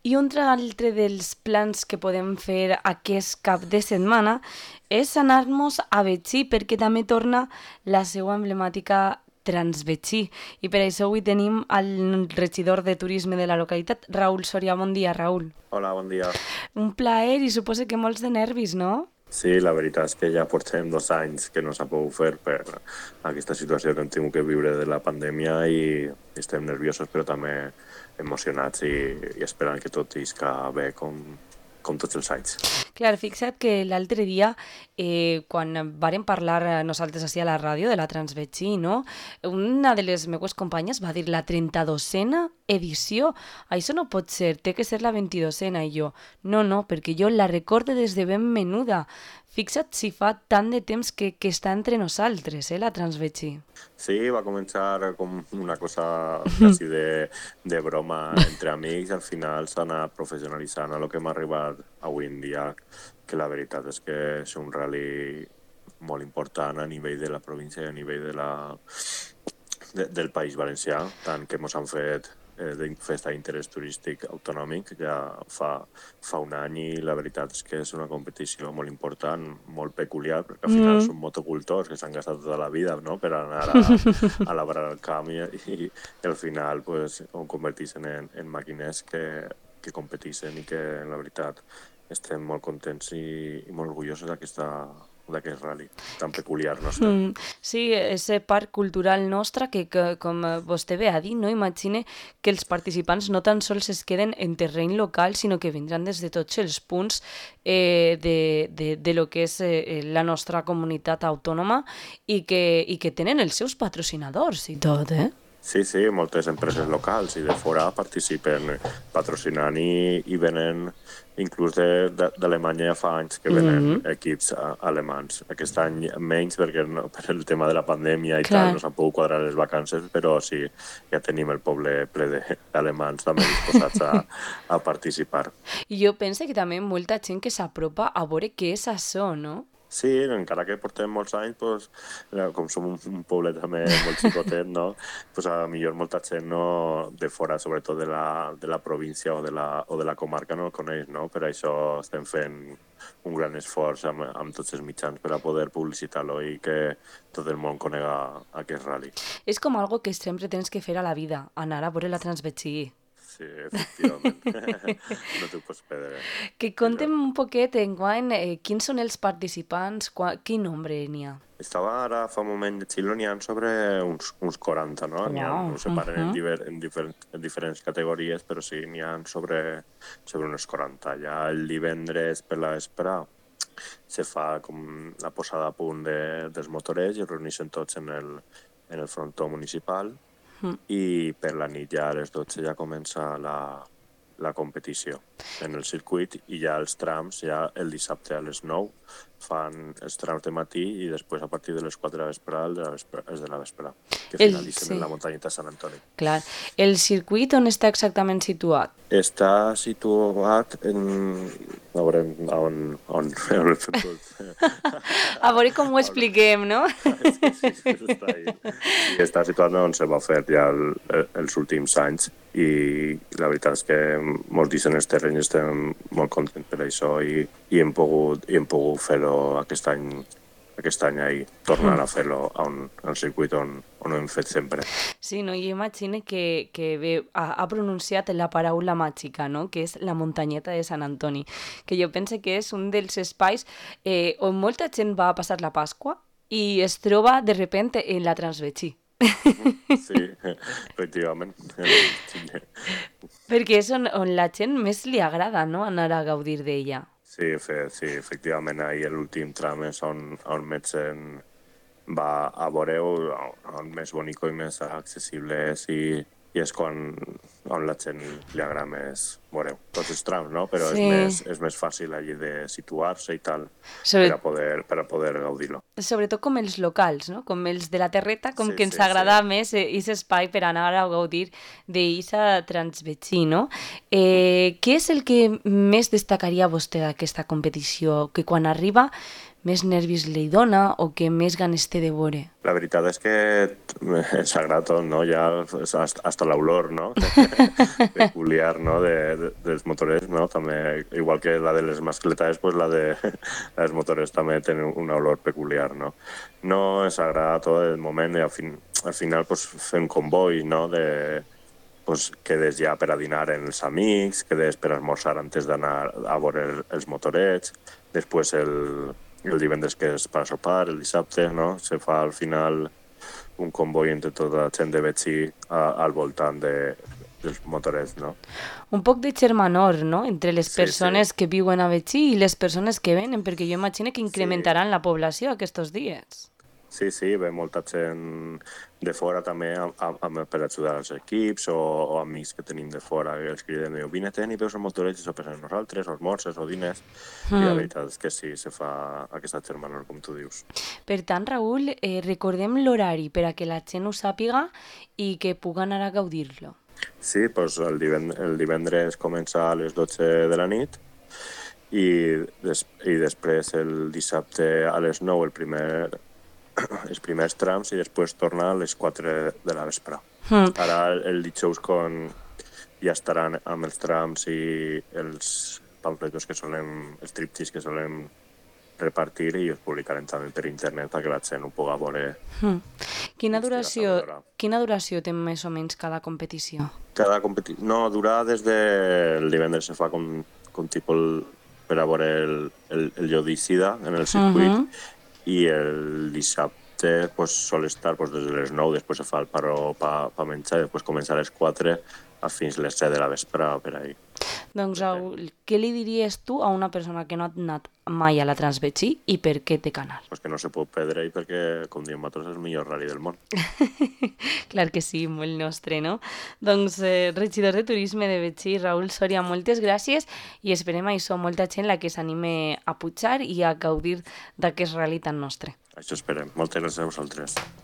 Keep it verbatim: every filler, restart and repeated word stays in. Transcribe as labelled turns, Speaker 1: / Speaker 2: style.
Speaker 1: I un altre dels plans que podem fer aquest cap de setmana és anar-nos a Betxí, perquè també torna la seva emblemàtica Transbetxí. I per això avui tenim el regidor de turisme de la localitat, Raül Soria. Bon dia, Raül.
Speaker 2: Hola, bon dia.
Speaker 1: Un plaer i suposo que molts de nervis, no?
Speaker 2: Sí, la veritat és que ja portem dos anys que no s'ha pogut fer per aquesta situació que hem tingut que viure de la pandèmia i estem nerviosos però també emocionats i, i esperant que tot isca bé com, com tots els anys.
Speaker 1: Clar, fixa't que l'altre dia, eh, quan vàrem parlar nosaltres així a la ràdio de la Transbetxí, no? Una de les meues companyes va dir la trenta-dosena edició. Això no pot ser, té que ser la vint-i-dosena. I jo, no, no, perquè jo la recorde des de ben menuda. Fixa't si fa tant de temps que, que està entre nosaltres, eh, la Transbetxí.
Speaker 2: Sí, va començar com una cosa quasi de, de broma entre amics i al final s'ha anat professionalitzant a lo que hem arribat avui en dia, que la veritat és que és un rally molt important a nivell de la província i a nivell de la, de, del País Valencià, tant que ens han fet eh, de festa d'interès turístic autonòmic ja fa, fa un any i la veritat és que és una competició molt important, molt peculiar, perquè al final mm. són motocultors que s'han gastat tota la vida, no?, per anar a, a labrar el camp i, i, i al final pues, ho converteixen en, en màquines que, que competeixen i que la veritat estem molt contents i, i molt orgullosos d'aquesta d'aquest rally tan peculiar nostre. Mm,
Speaker 1: sí, és part cultural nostra que, que, com vostè ve a dir, no? Imagine que els participants no tan sols es queden en terreny local, sinó que vindran des de tots els punts eh, de, de, de lo que és eh, la nostra comunitat autònoma i que, i que tenen els seus patrocinadors i tot, eh?
Speaker 2: Sí, sí, moltes empreses locals i de fora participen patrocinant i, i venen, inclús d'Alemanya ja fa anys que venen mm -hmm. equips alemans. Aquest any menys perquè no, per el tema de la pandèmia i Clar. tal no s'han pogut quadrar les vacances, però sí, ja tenim el poble ple d'alemans també disposats a, a participar.
Speaker 1: I jo penso que també molta gent que s'apropa a veure què és això, no?
Speaker 2: Sí, encara que portem molts anys, pues, com som un, un poble també molt xicotet, no? Pues, a millor molta gent no, de fora, sobretot de la, de la província o de la, o de la comarca, no el coneix, no? Per això estem fent un gran esforç amb, amb tots els mitjans per a poder publicitar-lo i que tot el món conega aquest rally.
Speaker 1: És com algo que sempre tens que fer a la vida, anar a veure la Transbetxí.
Speaker 2: Sí, efectivament. No t'ho pots perdre.
Speaker 1: Que contem un poquet enguany eh, quins són els participants, qua, quin nombre n'hi ha?
Speaker 2: Estava ara fa un moment de Xile, n'hi ha sobre uns, uns quaranta, no? N'hi ha,
Speaker 1: Wow.
Speaker 2: ho separen
Speaker 1: Uh-huh.
Speaker 2: en, diver, en, diferents, en diferents categories, però sí, n'hi ha sobre, sobre unes quaranta. Ja el divendres per la vespre se fa com la posada a punt de, dels motorets i es reuneixen tots en el, en el frontó municipal. Mm. I per la nit ja a les dotze ja comença la, la competició en el circuit i ja els trams, ja el dissabte a les nou fan els trams de matí i després a partir de les quatre de la vespre, de la vespre és de la vespre, que finalitzen sí. en la muntanyeta Sant Antoni.
Speaker 1: Clar. El circuit on està exactament situat?
Speaker 2: Està situat en... A veure on... on, on
Speaker 1: a veure com ho expliquem, no?
Speaker 2: sí, sí, sí, està ahí. I està situat on se va fer ja el, els últims anys i la veritat és que molts dicen els terrenys estem molt contents per això i, i hem pogut, i hem pogut fer-ho aquest any aquest any ahir, tornar a fer-lo al circuit on, on ho hem fet sempre.
Speaker 1: Sí, no? Jo imagino que, que bé, ha, ha pronunciat la paraula màgica, no? Que és la muntanyeta de Sant Antoni, que jo penso que és un dels espais eh, on molta gent va a passar la Pasqua i es troba de repente en la Transbetxí.
Speaker 2: Sí, efectivament.
Speaker 1: Perquè és on, on la gent més li agrada, no?, anar a gaudir d'ella.
Speaker 2: Sí, fe, sí, efectivament, ahir l'últim tram és on, on més gent va a veure-ho, on més bonic i més accessible és i, i és quan on la gent li agrada més veure-ho. Tots els trams, no? Però sí. és, més, és més fàcil allí de situar-se i tal Sobre... per, a poder, per a poder gaudir-lo.
Speaker 1: Sobretot com els locals, no? Com els de la terreta, com
Speaker 2: sí,
Speaker 1: que ens
Speaker 2: sí,
Speaker 1: agrada
Speaker 2: sí.
Speaker 1: més aquest espai per anar a gaudir d'eixa Transbetxí, no? Eh, què és el que més destacaria vostè d'aquesta competició? Que quan arriba més nervis li dona o que més ganes té de veure?
Speaker 2: La veritat és que ens agrada tot, no? Ja hasta, hasta l'olor, no? Peculiar, no? De, de, dels motorets, no? També, igual que la de les mascletes, pues la de les motorets també tenen una olor peculiar, no? No ens agrada tot el moment i al, fin, al final pues, fem comboi, no? De, pues, quedes ja per a dinar amb els amics, quedes per a esmorzar antes d'anar a veure el, els motorets, després el, el divendres que és per a sopar, el dissabte, no? Se fa al final un comboi entre tota la gent de Betxí a, al voltant de, dels motorets, no?
Speaker 1: Un poc de germanor, no?, entre les
Speaker 2: Sí,
Speaker 1: persones
Speaker 2: sí.
Speaker 1: que viuen a Betxí i les persones que venen, perquè jo imagino que incrementaran la població aquests dies.
Speaker 2: Sí, sí, ve molta gent de fora també amb, amb, per ajudar els equips o, o amics que tenim de fora que els criden, diu, vine-te'n i veus el motoreig i sopes amb nosaltres, o esmorzes o dines, mm. i la veritat és que sí, se fa aquesta germanor, com tu dius.
Speaker 1: Per tant, Raül, eh, recordem l'horari per a que la gent ho sàpiga i que pugui anar a gaudir-lo.
Speaker 2: Sí, doncs el, divend el divendres comença a les dotze de la nit i, des i després el dissabte a les nou el primer els primers trams i després torna a les quatre de la vespre. Mm. Ara el, el dijous con, ja estaran amb els trams i els pamfletos que solem, els tríptics que solem repartir i els publicarem també per internet perquè la gent ho pugui veure. Mm.
Speaker 1: Quina duració, quina duració té més o menys cada competició?
Speaker 2: Cada competició... No, dura des del divendres, se fa com, com tipus per a veure el, el, el llodicida en el circuit, uh -huh. i el dissabte pues, sol estar pues, des de les nou, després se fa el paró per pa menjar i després comença a les quatre a fins les set de la vespre per ahí.
Speaker 1: Doncs, Raül, què li diries tu a una persona que no ha anat mai a la Transbetxí i per què té canal?
Speaker 2: Pues que no se pot perdre i perquè, com diem nosaltres, és el millor rally del món.
Speaker 1: Clar que sí, molt nostre, no? Doncs, eh, regidor de Turisme de Betxí, Raül Soria, moltes gràcies i esperem això, molta gent la que s'anime a pujar i a gaudir d'aquest rally tan nostre.
Speaker 2: Això esperem. Moltes gràcies a vosaltres.